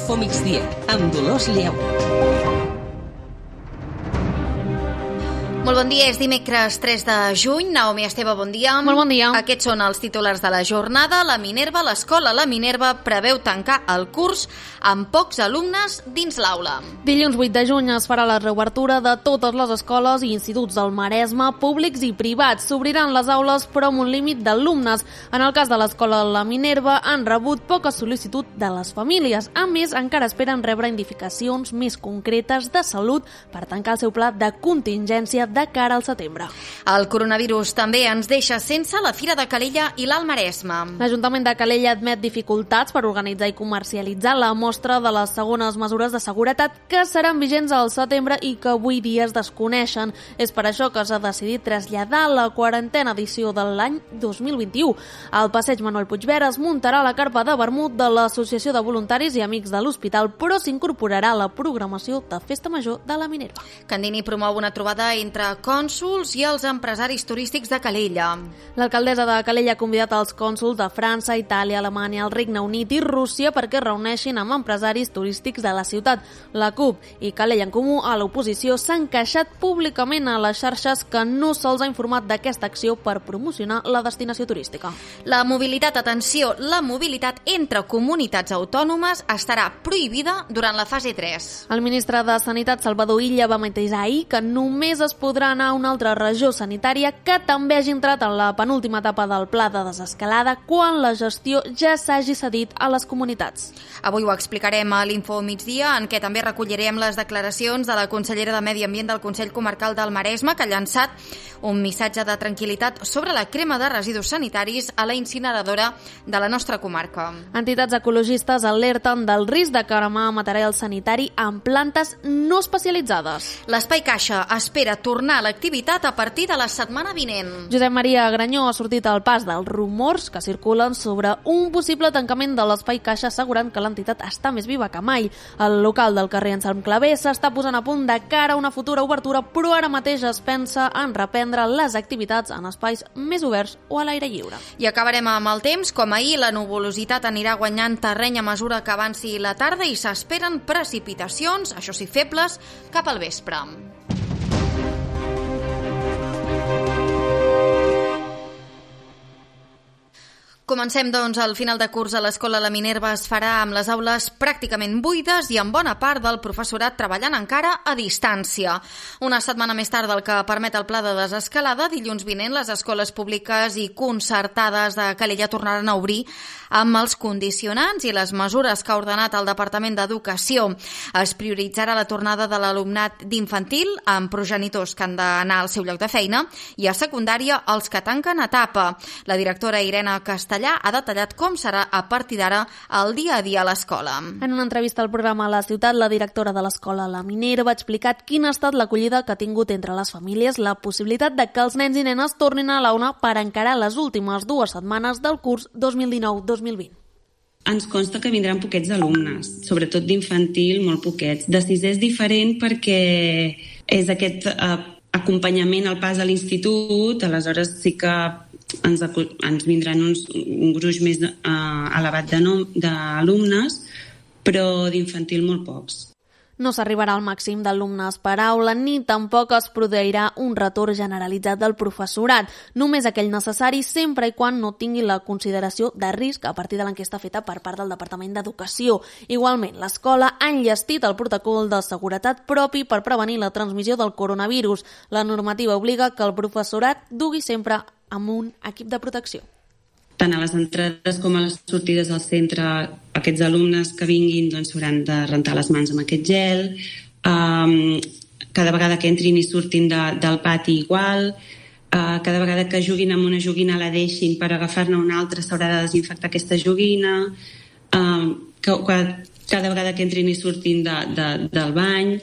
Infomigdia, amb Dolors Lleu. Molt bon dia, és dimecres 3 de juny. Naomi Esteve, bon dia. Molt bon dia. Aquests són els titulars de la jornada. La Minerva, l'escola La Minerva, preveu tancar el curs amb pocs alumnes dins l'aula. Dilluns 8 de juny es farà la reobertura de totes les escoles i instituts del Maresme, públics i privats. S'obriran les aules, però amb un límit d'alumnes. En el cas de l'escola La Minerva, han rebut poca sol·licitud de les famílies. A més, encara esperen rebre indicacions més concretes de salut per tancar el seu pla de contingència de cara al setembre. El coronavirus també ens deixa sense la Fira de Calella i l'Alt Maresme. L'Ajuntament de Calella admet dificultats per organitzar i comercialitzar la mostra de les segones mesures de seguretat que seran vigents al setembre i que avui dia es desconeixen. És per això que s'ha decidit traslladar la 40a edició de l'any 2021. Al passeig Manuel Puigverd es muntarà la carpa de vermut de l'Associació de Voluntaris i Amics de l'Hospital, però s'incorporarà la programació de Festa Major de la Minerva. Candini promou una trobada entre cònsols i els empresaris turístics de Calella. L'alcaldessa de Calella ha convidat els cònsols de França, Itàlia, Alemanya, el Regne Unit i Rússia perquè reuneixin amb empresaris turístics de la ciutat. La CUP i Calella en Comú a l'oposició s'han queixat públicament a les xarxes que no se'ls ha informat d'aquesta acció per promocionar la destinació turística. La mobilitat, atenció, la mobilitat entre comunitats autònomes estarà prohibida durant la fase 3. El ministre de Sanitat, Salvador Illa, va matisar ahir que només es podrà anar a una altra regió sanitària que també hagi entrat en la penúltima etapa del pla de desescalada quan la gestió ja s'hagi cedit a les comunitats. Avui ho explicarem a l'Info Migdia, en què també recollirem les declaracions de la consellera de Medi Ambient del Consell Comarcal del Maresme, que ha llançat un missatge de tranquil·litat sobre la crema de residus sanitaris a la incineradora de la nostra comarca. Entitats ecologistes alerten del risc de cremar material sanitari en plantes no especialitzades. L'Espai Caixa espera tornar a l'activitat a partir de la setmana vinent. Josep Maria Granyó ha sortit al pas dels rumors que circulen sobre un possible tancament de l'Espai Caixa, assegurant que l'entitat està més viva que mai. El local del carrer Anselm Clavé s'està posant a punt de cara a una futura obertura, però ara mateix es pensa en reprendre les activitats en espais més oberts o a l'aire lliure. I acabarem amb el temps. Com ahir, la nuvolositat anirà guanyant terreny a mesura que avanci la tarda i s'esperen precipitacions, això sí febles, cap al vespre. Comencem, doncs, al final de curs a l'Escola La Minerva es farà amb les aules pràcticament buides i amb bona part del professorat treballant encara a distància. Una setmana més tard del que permet el pla de desescalada, dilluns vinent les escoles públiques i concertades de Calella tornaran a obrir amb els condicionants i les mesures que ha ordenat el Departament d'Educació. Es prioritzarà la tornada de l'alumnat d'infantil amb progenitors que han d'anar al seu lloc de feina i a secundària els que tanquen etapa. La directora Irene Castellà ha detallat com serà a partir d'ara el dia a dia a l'escola. En una entrevista al programa La Ciutat, la directora de l'escola La Minerva ha explicat quina ha estat l'acollida que ha tingut entre les famílies la possibilitat de que els nens i nenes tornin a l'aula per encarar les últimes 2 setmanes del curs 2019-2020. Ens consta que vindran poquets alumnes, sobretot d'infantil, molt poquets. De sisè és diferent perquè és aquest acompanyament al pas a l'institut, aleshores sí que ens vindran un gruix més elevat d'alumnes, però d'infantil molt pocs. No s'arribarà al màxim d'alumnes per aula ni tampoc es produirà un retorn generalitzat del professorat, només aquell necessari sempre i quan no tingui la consideració de risc a partir de l'enquesta feta per part del Departament d'Educació. Igualment, l'escola ha enllestit el protocol de seguretat propi per prevenir la transmissió del coronavirus. La normativa obliga que el professorat dugui sempre amb un equip de protecció. Tant a les entrades com a les sortides del centre, aquests alumnes que vinguin s'hauran de rentar les mans amb aquest gel. Cada vegada que entrin i surtin del pati igual. Cada vegada que juguin amb una joguina la deixin per agafar-ne una altra s'haurà de desinfectar aquesta joguina. Cada vegada que entrin i surtin del bany.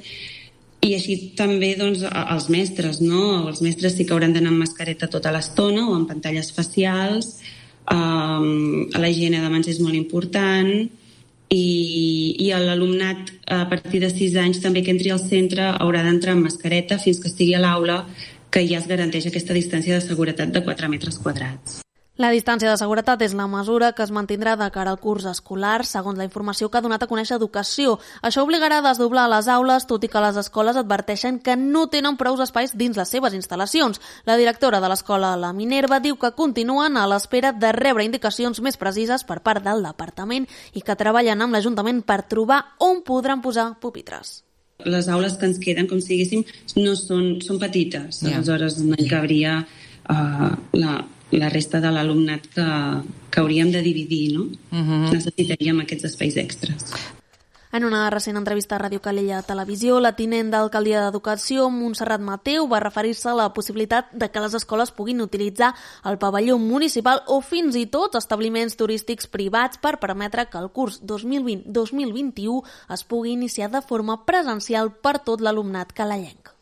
I així també els mestres, no? Els mestres sí que hauran d'anar amb mascareta tota l'estona o amb pantalles facials. La higiene de mans és molt important i l'alumnat a partir de 6 anys també que entri al centre haurà d'entrar amb mascareta fins que estigui a l'aula, que ja es garanteix aquesta distància de seguretat de 4 metres quadrats. La distància de seguretat és la mesura que es mantindrà de cara al curs escolar, segons la informació que ha donat a conèixer Educació. Això obligarà a desdoblar les aules, tot i que les escoles adverteixen que no tenen prous espais dins les seves instal·lacions. La directora de l'escola La Minerva diu que continuen a l'espera de rebre indicacions més precises per part del departament i que treballen amb l'Ajuntament per trobar on podran posar pupitres. Les aules que ens queden, com si diguéssim, no són petites. Aleshores no hi cabria la resta de l'alumnat que hauríem de dividir, no? Necessitaríem aquests espais extres. En una recent entrevista a Ràdio Calella Televisió, la tinent d'alcaldia d'Educació, Montserrat Mateu, va referir-se a la possibilitat de que les escoles puguin utilitzar el pavelló municipal o fins i tot establiments turístics privats per permetre que el curs 2020-2021 es pugui iniciar de forma presencial per tot l'alumnat calellenc.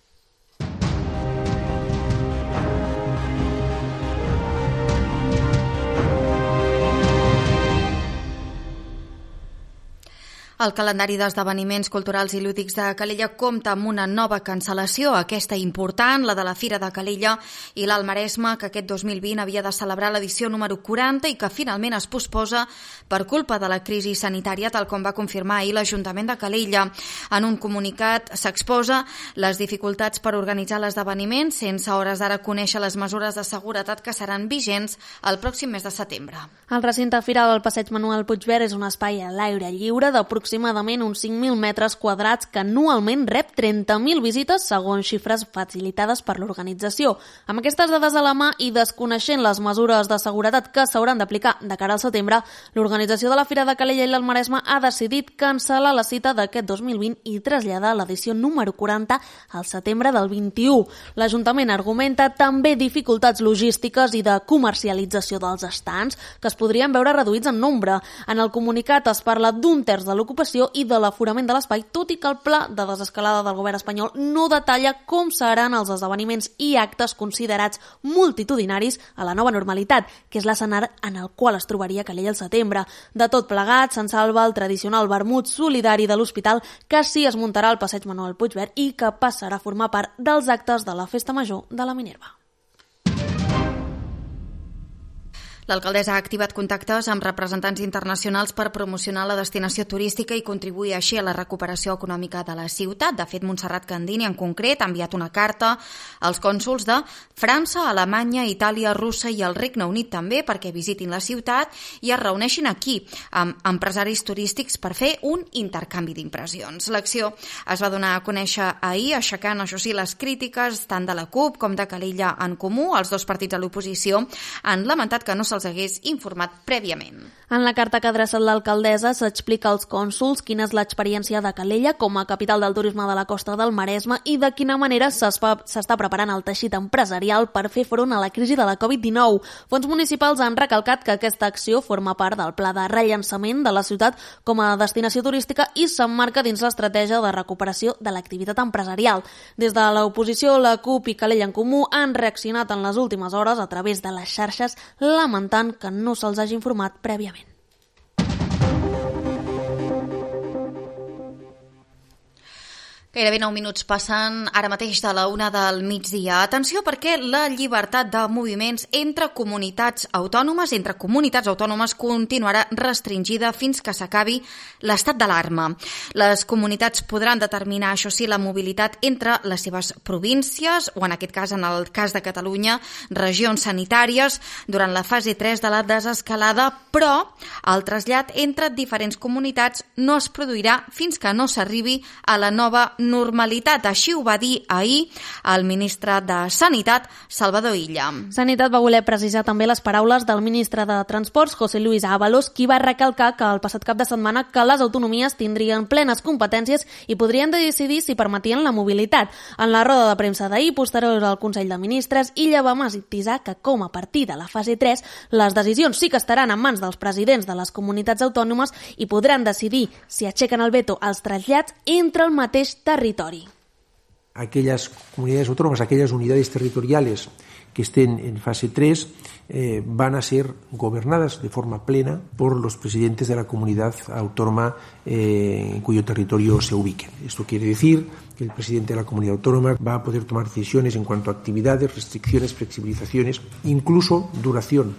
El calendari d'esdeveniments culturals i lúdics de Calella compta amb una nova cancel·lació, aquesta important, la de la Fira de Calella i l'Alt Maresme, que aquest 2020 havia de celebrar l'edició número 40 i que finalment es posposa per culpa de la crisi sanitària, tal com va confirmar ahir l'Ajuntament de Calella. En un comunicat s'exposa les dificultats per organitzar l'esdeveniment sense hores d'ara conèixer les mesures de seguretat que seran vigents el pròxim mes de setembre. El recinte firal del Passeig Manuel Puigverd és un espai a l'aire lliure d'aproximadament uns 5.000 metres quadrats que anualment rep 30.000 visites segons xifres facilitades per l'organització. Amb aquestes dades a la mà i desconeixent les mesures de seguretat que s'hauran d'aplicar de cara al setembre, l'organització de la Fira de Calella i l'Alt Maresme ha decidit cancel·lar la cita d'aquest 2020 i traslladar l'edició número 40 al setembre del 21. L'Ajuntament argumenta també dificultats logístiques i de comercialització dels estands que es podrien veure reduïts en nombre. En el comunicat es parla d'un terç de l'ocupació i de l'aforament de l'espai, tot i que el pla de desescalada del govern espanyol no detalla com seran els esdeveniments i actes considerats multitudinaris a la nova normalitat, que és l'escenari en el qual es trobaria Calella al setembre. De tot plegat, se'n salva el tradicional vermut solidari de l'Hospital, que sí es muntarà al Passeig Manuel Puigverd i que passarà a formar part dels actes de la Festa Major de la Minerva. L'alcaldessa ha activat contactes amb representants internacionals per promocionar la destinació turística i contribuir així a la recuperació econòmica de la ciutat. De fet, Montserrat Candini, en concret, ha enviat una carta als cònsols de França, Alemanya, Itàlia, Rússia i el Regne Unit també perquè visitin la ciutat i es reuneixin aquí amb empresaris turístics per fer un intercanvi d'impressions. L'acció es va donar a conèixer ahir, aixecant, això sí, les crítiques tant de la CUP com de Calella en Comú. Els dos partits de l'oposició han lamentat que no se'ls hagués informat prèviament. En la carta que ha adreçat l'alcaldessa s'explica als cònsols quina és l'experiència de Calella com a capital del turisme de la costa del Maresme i de quina manera s'està preparant el teixit empresarial per fer front a la crisi de la Covid-19. Fons municipals han recalcat que aquesta acció forma part del pla de rellançament de la ciutat com a destinació turística i s'emmarca dins l'estratègia de recuperació de l'activitat empresarial. Des de l'oposició, la CUP i Calella en Comú han reaccionat en les últimes hores a través de les xarxes lamentant que no se'ls hagi informat prèviament. Gairebé 9 minuts passen ara mateix de la 1 del migdia. Atenció perquè la llibertat de moviments entre comunitats autònomes continuarà restringida fins que s'acabi l'estat d'alarma. Les comunitats podran determinar, això sí, la mobilitat entre les seves províncies o, en aquest cas, en el cas de Catalunya, regions sanitàries durant la fase 3 de la desescalada, però el trasllat entre diferents comunitats no es produirà fins que no s'arribi a la nova normalitat. Així ho va dir ahir el ministre de Sanitat, Salvador Illa. Sanitat va voler precisar també les paraules del ministre de Transports, José Luis Ábalos, qui va recalcar que el passat cap de setmana que les autonomies tindrien plenes competències i podrien decidir si permetien la mobilitat. En la roda de premsa d'ahir, posterior al Consell de Ministres, Illa va matisar que, com a partir de la fase 3, les decisions sí que estaran en mans dels presidents de les comunitats autònomes i podran decidir si aixequen el veto als trasllats entre el mateix territori. Aquellas comunidades autónomas, aquellas unidades territoriales que estén en fase 3 van a ser gobernadas de forma plena por los presidentes de la comunidad autónoma en cuyo territorio se ubiquen. Esto quiere decir que el presidente de la comunidad autónoma va a poder tomar decisiones en cuanto a actividades, restricciones, flexibilizaciones, incluso duración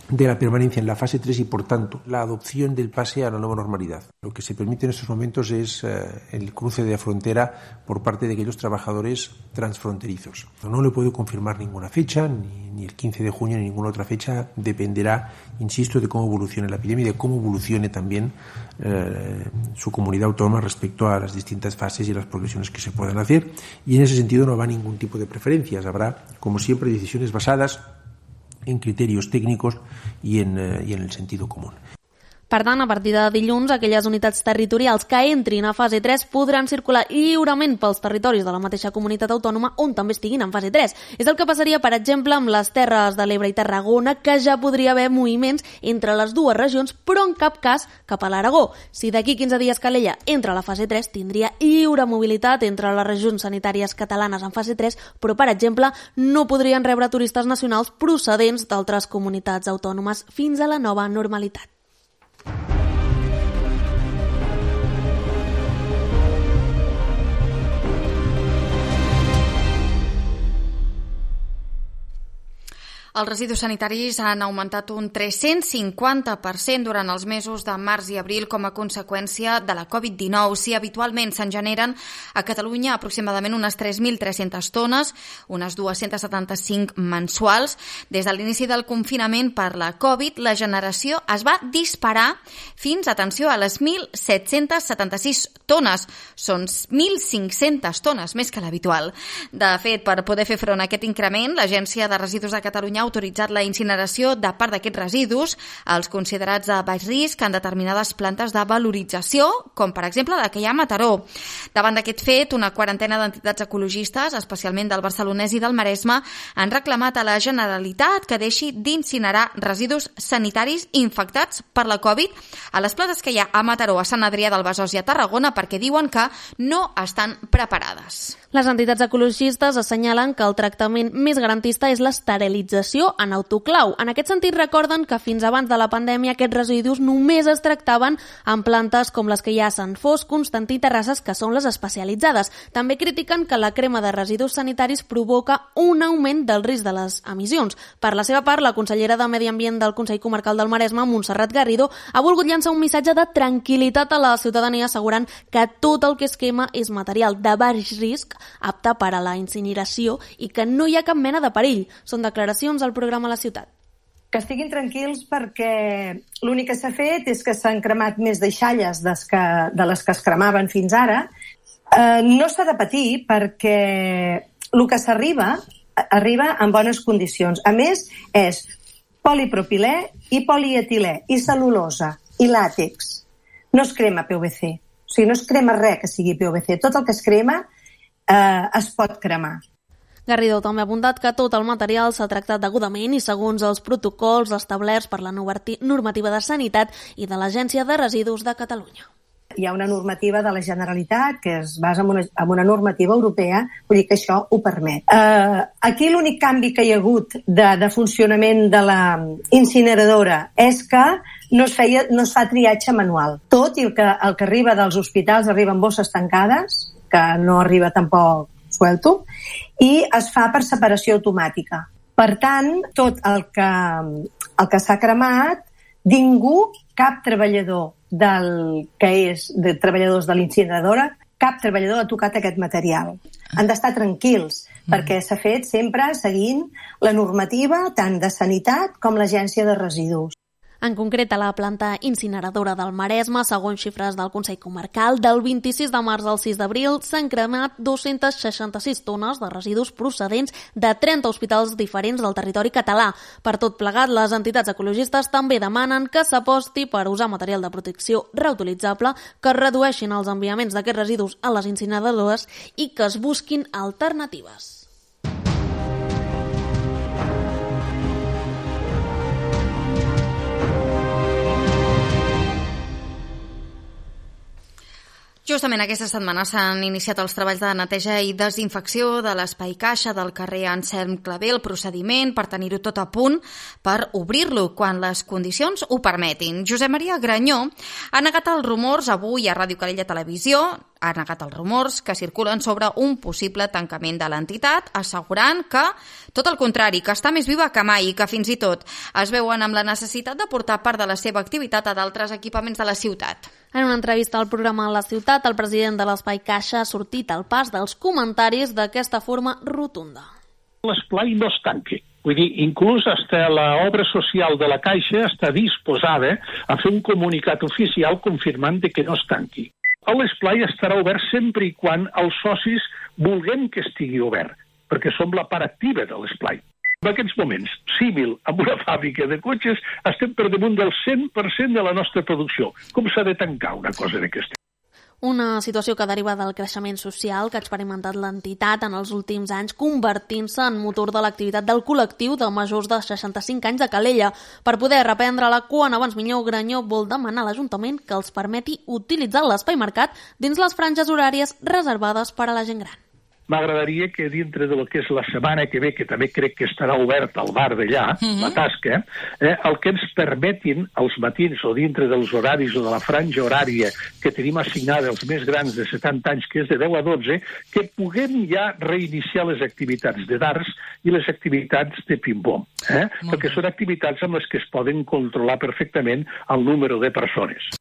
de la permanencia en la fase 3 y, por tanto, la adopción del pase a la nueva normalidad. Lo que se permite en estos momentos es el cruce de frontera por parte de aquellos trabajadores transfronterizos. No le puedo confirmar ninguna fecha, ni el 15 de junio ni ninguna otra fecha. Dependerá, insisto, de cómo evolucione la epidemia y de cómo evolucione también su comunidad autónoma respecto a las distintas fases y las progresiones que se puedan hacer. Y en ese sentido no habrá ningún tipo de preferencias. Habrá, como siempre, decisiones basadas en criterios técnicos y en el sentido común. Per tant, a partir de dilluns, aquelles unitats territorials que entrin a fase 3 podran circular lliurement pels territoris de la mateixa comunitat autònoma on també estiguin en fase 3. És el que passaria, per exemple, amb les Terres de l'Ebre i Tarragona, que ja podria haver moviments entre les dues regions, però en cap cas cap a l'Aragó. Si d'aquí 15 dies Calella entra a la fase 3, tindria lliure mobilitat entre les regions sanitàries catalanes en fase 3, però, per exemple, no podrien rebre turistes nacionals procedents d'altres comunitats autònomes fins a la nova normalitat. Els residus sanitaris han augmentat un 350% durant els mesos de març i abril com a conseqüència de la Covid-19. Si habitualment se'n generen a Catalunya aproximadament unes 3.300 tones, unes 275 mensuals, des de l'inici del confinament per la Covid, la generació es va disparar fins, atenció, a les 1.776 tones. Són 1.500 tones, més que l'habitual. De fet, per poder fer front a aquest increment, l'Agència de Residus de Catalunya ha autoritzat la incineració de part d'aquests residus, els considerats de baix risc, en determinades plantes de valorització, com per exemple la que hi ha a Mataró. Davant d'aquest fet, una quarantena d'entitats ecologistes, especialment del Barcelonès i del Maresme, han reclamat a la Generalitat que deixi d'incinerar residus sanitaris infectats per la Covid a les plantes que hi ha a Mataró, a Sant Adrià del Besòs i a Tarragona, perquè diuen que no estan preparades. Les entitats ecologistes assenyalen que el tractament més garantista és l'esterilització en autoclau. En aquest sentit, recorden que fins abans de la pandèmia aquests residus només es tractaven en plantes com les que hi ha a Sant Fost, Constantí i Terrasses, que són les especialitzades. També critiquen que la crema de residus sanitaris provoca un augment del risc de les emissions. Per la seva part, la consellera de Medi Ambient del Consell Comarcal del Maresme, Montserrat Garrido, ha volgut llançar un missatge de tranquil·litat a la ciutadania, assegurant que tot el que es quema és material de baix risc, apte per a la incineració i que no hi ha cap mena de perill. Són declaracions al programa La Ciutat. Que estiguin tranquils perquè l'únic que s'ha fet és que s'han cremat més deixalles de les que es cremaven fins ara. No s'ha de patir perquè el que s'arriba en bones condicions. A més, és polipropilè i polietilè i cel·lulosa i làtex. No es crema PVC. O sigui, no es crema res que sigui PVC. Tot el que es crema es pot cremar. Garrido també ha apuntat que tot el material s'ha tractat degudament i segons els protocols establerts per la normativa de sanitat i de l'Agència de Residus de Catalunya. Hi ha una normativa de la Generalitat que es basa en una normativa europea, vull dir que això ho permet. Aquí l'únic canvi que hi ha hagut de funcionament de la incineradora és que no es fa triatge manual. Tot i que el que arriba dels hospitals arriba en bosses tancades, que no arriba tampoc suelto, i es fa per separació automàtica. Per tant, tot el que s'ha cremat, ningú, cap treballador de treballadors de l'incineradora, cap treballador ha tocat aquest material. Han d'estar tranquils, perquè s'ha fet sempre seguint la normativa tant de sanitat com l'Agència de Residus. En concret, a la planta incineradora del Maresme, segons xifres del Consell Comarcal, del 26 de març al 6 d'abril s'han cremat 266 tones de residus procedents de 30 hospitals diferents del territori català. Per tot plegat, les entitats ecologistes també demanen que s'aposti per usar material de protecció reutilitzable, que es redueixin els enviaments d'aquests residus a les incineradores i que es busquin alternatives. Justament aquesta setmana s'han iniciat els treballs de neteja i desinfecció de l'espai caixa del carrer Anselm Clavé, el procediment per tenir-ho tot a punt per obrir-lo quan les condicions ho permetin. Josep Maria Granyó ha negat els rumors avui a Ràdio Calella Televisió ha negat els rumors que circulen sobre un possible tancament de l'entitat, assegurant que, tot el contrari, que està més viva que mai i que fins i tot es veuen amb la necessitat de portar part de la seva activitat a d'altres equipaments de la ciutat. En una entrevista al programa La Ciutat, el president de l'Espai Caixa ha sortit al pas dels comentaris d'aquesta forma rotunda. L'esplai no es tanqui. Vull dir, inclús hasta l'obra social de la Caixa està disposada a fer un comunicat oficial confirmant que no es tanqui. L'esplai estarà obert sempre i quan els socis vulguem que estigui obert, perquè som la part activa de l'esplai. En aquests moments, símil amb una fàbrica de cotxes, estem per damunt del 100% de la nostra producció. Com s'ha de tancar una cosa d'aquesta? Una situació que deriva del creixement social que ha experimentat l'entitat en els últims anys, convertint-se en motor de l'activitat del col·lectiu de majors de 65 anys de Calella. Per poder reprendre-la quan abans millor, Granyó vol demanar a l'Ajuntament que els permeti utilitzar l'espai marcat dins les franges horàries reservades per a la gent gran. M'agradaria que dintre de lo que és la setmana que ve, que també crec que estarà obert al bar d'allà, la tasca, el que ens permetin als matins o dintre dels horaris o de la franja horària que tenim assignada als més grans de 70 anys, que és de 10 a 12, que puguem ja reiniciar les activitats de darts i les activitats de ping-pong, perquè són activitats amb les que es poden controlar perfectament el número de persones.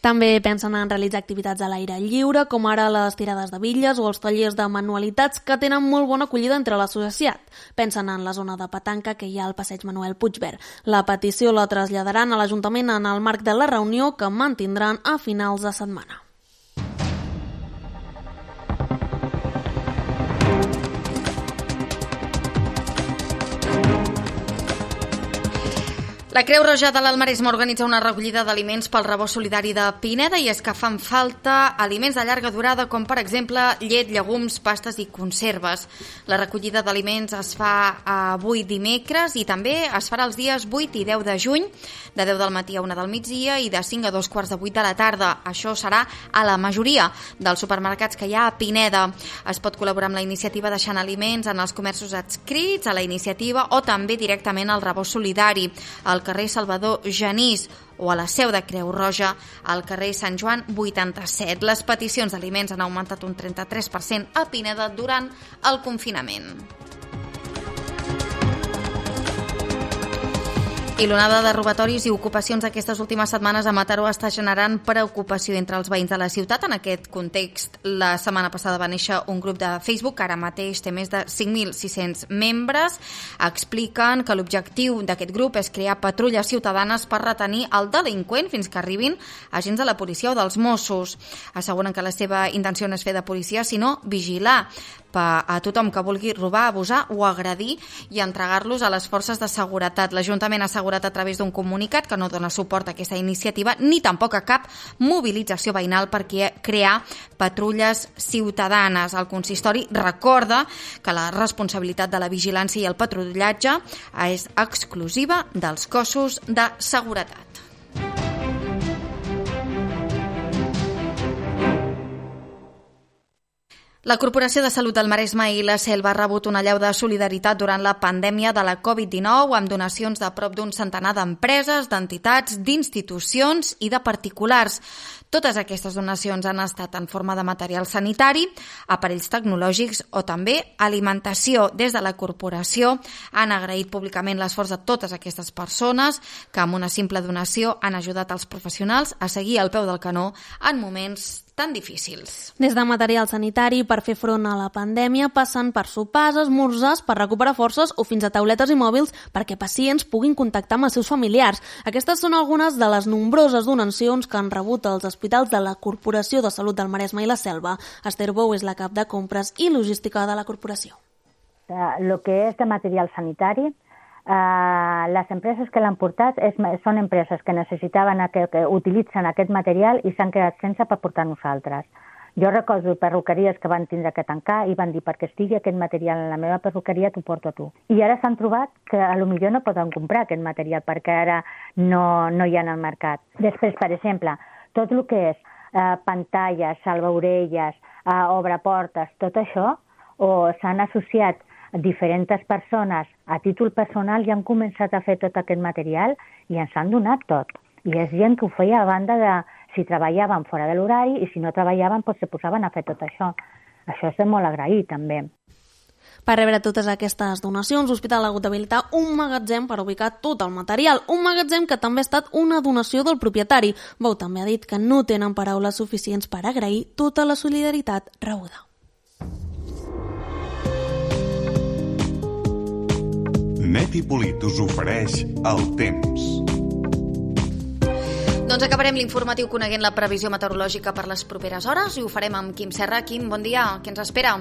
També pensen en realitzar activitats a l'aire lliure, com ara les tirades de bitlles o els tallers de manualitats que tenen molt bona acollida entre la societat. Pensen en la zona de petanca que hi ha al passeig Manuel Puigverd. La petició la traslladaran a l'Ajuntament en el marc de la reunió que mantindran a finals de setmana. La Creu Roja de l'Alt Maresme organitza una recollida d'aliments pel rebost solidari de Pineda i és que fan falta aliments de llarga durada com per exemple llet, llegums, pastes i conserves. La recollida d'aliments es fa avui dimecres i també es farà els dies 8 i 10 de juny, de 10 del matí a 1 del migdia i de 5 a 2:15 de la tarda. Això serà a la majoria dels supermercats que hi ha a Pineda. Es pot col·laborar amb la iniciativa deixant aliments en els comerços adscrits a la iniciativa o també directament al rebost solidari, al carrer Salvador Genís o a la seu de Creu Roja al carrer Sant Joan 87. Les peticions d'aliments han augmentat un 33% a Pineda durant el confinament. I l'onada de robatoris i ocupacions aquestes últimes setmanes a Mataró està generant preocupació entre els veïns de la ciutat. En aquest context, la setmana passada va néixer un grup de Facebook que ara mateix té més de 5.600 membres. Expliquen que l'objectiu d'aquest grup és crear patrulles ciutadanes per retenir el delinqüent fins que arribin agents de la policia o dels Mossos. Asseguren que la seva intenció no és fer de policia, sinó vigilar a tothom que vulgui robar, abusar o agredir i entregar-los a les forces de seguretat. L'Ajuntament ha assegurat a través d'un comunicat que no dona suport a aquesta iniciativa ni tampoc a cap mobilització veïnal per crear patrulles ciutadanes. El consistori recorda que la responsabilitat de la vigilància i el patrullatge és exclusiva dels cossos de seguretat. La Corporació de Salut del Maresme i la Selva ha rebut una allau de solidaritat durant la pandèmia de la Covid-19 amb donacions de prop d'un centenar d'empreses, d'entitats, d'institucions i de particulars. Totes aquestes donacions han estat en forma de material sanitari, aparells tecnològics o també alimentació. Des de la corporació han agraït públicament l'esforç de totes aquestes persones que amb una simple donació han ajudat els professionals a seguir al peu del canó en moments tan difícils. Des de material sanitari per fer front a la pandèmia, passant per sopars, esmorzars, per recuperar forces o fins a tauletes i mòbils perquè pacients puguin contactar amb els seus familiars. Aquestes són algunes de les nombroses donacions que han rebut els hospitals de la Corporació de Salut del Maresme i la Selva. Esther Bou és la cap de compres i logística de la corporació. Lo que és de material sanitari, les empreses que l'han portat són empreses que necessitaven que utilitzen aquest material i s'han quedat sense per portar nosaltres. Jo recordo perruqueries que van tindre que tancar i van dir perquè estigui aquest material en la meva perruqueria t'ho porto a tu. I ara s'han trobat que potser no poden comprar aquest material perquè ara no hi ha en el mercat. Després, per exemple, tot el que és pantalles, salvaorelles, obreportes, tot això, o s'han associat diferents persones a títol personal i han començat a fer tot aquest material i ens han donat tot. I és gent que ho feia a banda de si treballaven fora de l'horari i si no treballaven se posaven a fer tot això. Això és de molt agrair, també. Per rebre totes aquestes donacions, l'Hospital ha hagut d'habilitar un magatzem per ubicar tot el material. Un magatzem que també ha estat una donació del propietari. Bou també ha dit que no tenen paraules suficients per agrair tota la solidaritat rebuda. Net i Polit us ofereix el temps. Doncs acabarem l'informatiu coneguent la previsió meteorològica per les properes hores i ho farem amb Quim Serra. Quim, bon dia. Què ens espera?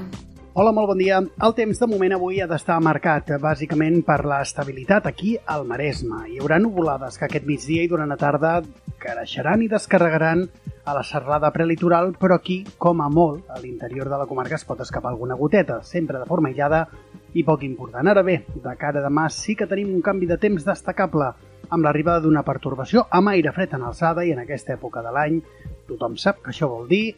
Hola, molt bon dia. El temps de moment avui ha d'estar marcat bàsicament per l'estabilitat aquí al Maresme. Hi haurà nuvolades que aquest migdia i durant la tarda creixeran i descarregaran a la serralada prelitoral, però aquí, com a molt, a l'interior de la comarca es pot escapar alguna goteta, sempre de forma aïllada i poc important. Ara bé, de cara a demà sí que tenim un canvi de temps destacable, amb l'arribada d'una pertorbació amb aire fred en alçada i en aquesta època de l'any tothom sap que això vol dir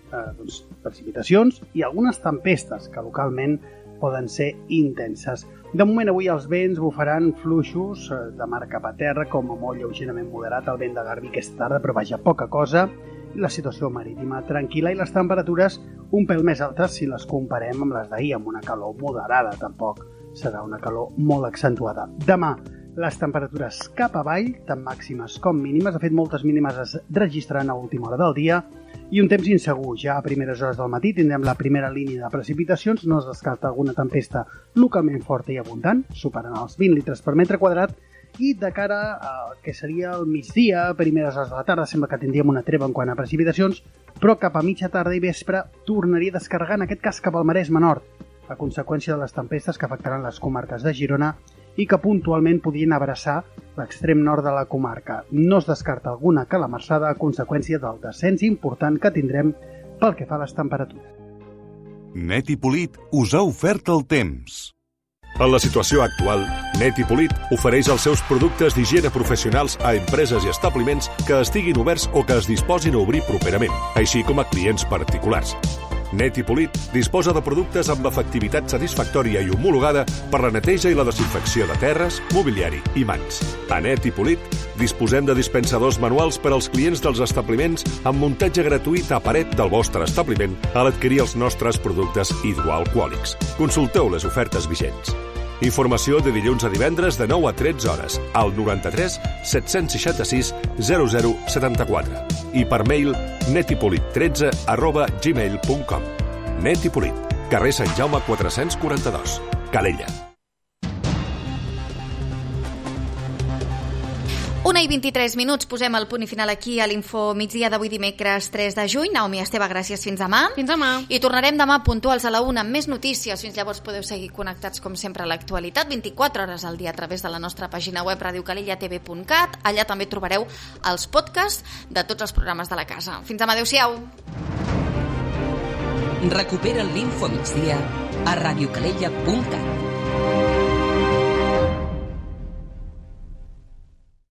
precipitacions i algunes tempestes que localment poden ser intenses. De moment avui els vents bufaran fluixos de mar cap a terra, com a molt lleugerament moderat el vent de Garbí aquesta tarda, però vaja, poca cosa, i la situació marítima tranquil·la i les temperatures un pèl més altes si les comparem amb les d'ahir, amb una calor moderada, tampoc serà una calor molt accentuada. Demà, les temperatures cap avall, tant màximes com mínimes. De fet, moltes mínimes es registraran a última hora del dia i un temps insegur. Ja a primeres hores del matí tindrem la primera línia de precipitacions. No es descarta alguna tempesta localment forta i abundant, superant els 20 litres per metre quadrat. I de cara al que seria el migdia, primeres hores de la tarda, sembla que tindríem una treva en quant a precipitacions, però cap a mitja tarda i vespre tornaria a descarregar, en aquest cas cap al Maresme Nord, a conseqüència de les tempestes que afectaran les comarques de Girona i que puntualment podrien abraçar l'extrem nord de la comarca. No es descarta alguna calamarsada a conseqüència del descens important que tindrem pel que fa a les temperatures. Net i Polit us ha ofert el temps. En la situació actual, Net i Polit ofereix els seus productes d'higiene professionals a empreses i establiments que estiguin oberts o que es disposin a obrir properament, així com a clients particulars. Net i Polit disposa de productes amb efectivitat satisfactòria i homologada per la neteja i la desinfecció de terres, mobiliari i mans. A Net i Polit disposem de dispensadors manuals per als clients dels establiments amb muntatge gratuït a paret del vostre establiment a l'adquirir els nostres productes hidroalcohòlics. Consulteu les ofertes vigents. Informació de dilluns a divendres de 9 a 13 hores al 93 766 0074 i per mail netipolit13@gmail.com. Net i Polit, carrer Sant Jaume 442, Calella. 1:23, posem el punt i final aquí a l'Info Migdia d'avui dimecres 3 de juny. Naomi Esteve, gràcies, fins demà. Fins demà. I tornarem demà puntuals a la 1 amb més notícies. Fins llavors podeu seguir connectats com sempre a l'actualitat, 24 hores al dia a través de la nostra pàgina web radiocalellatv.cat. Allà també trobareu els podcasts de tots els programes de la casa. Fins demà, adeu-siau. Recupera l'Info Migdia a radiocalella.cat.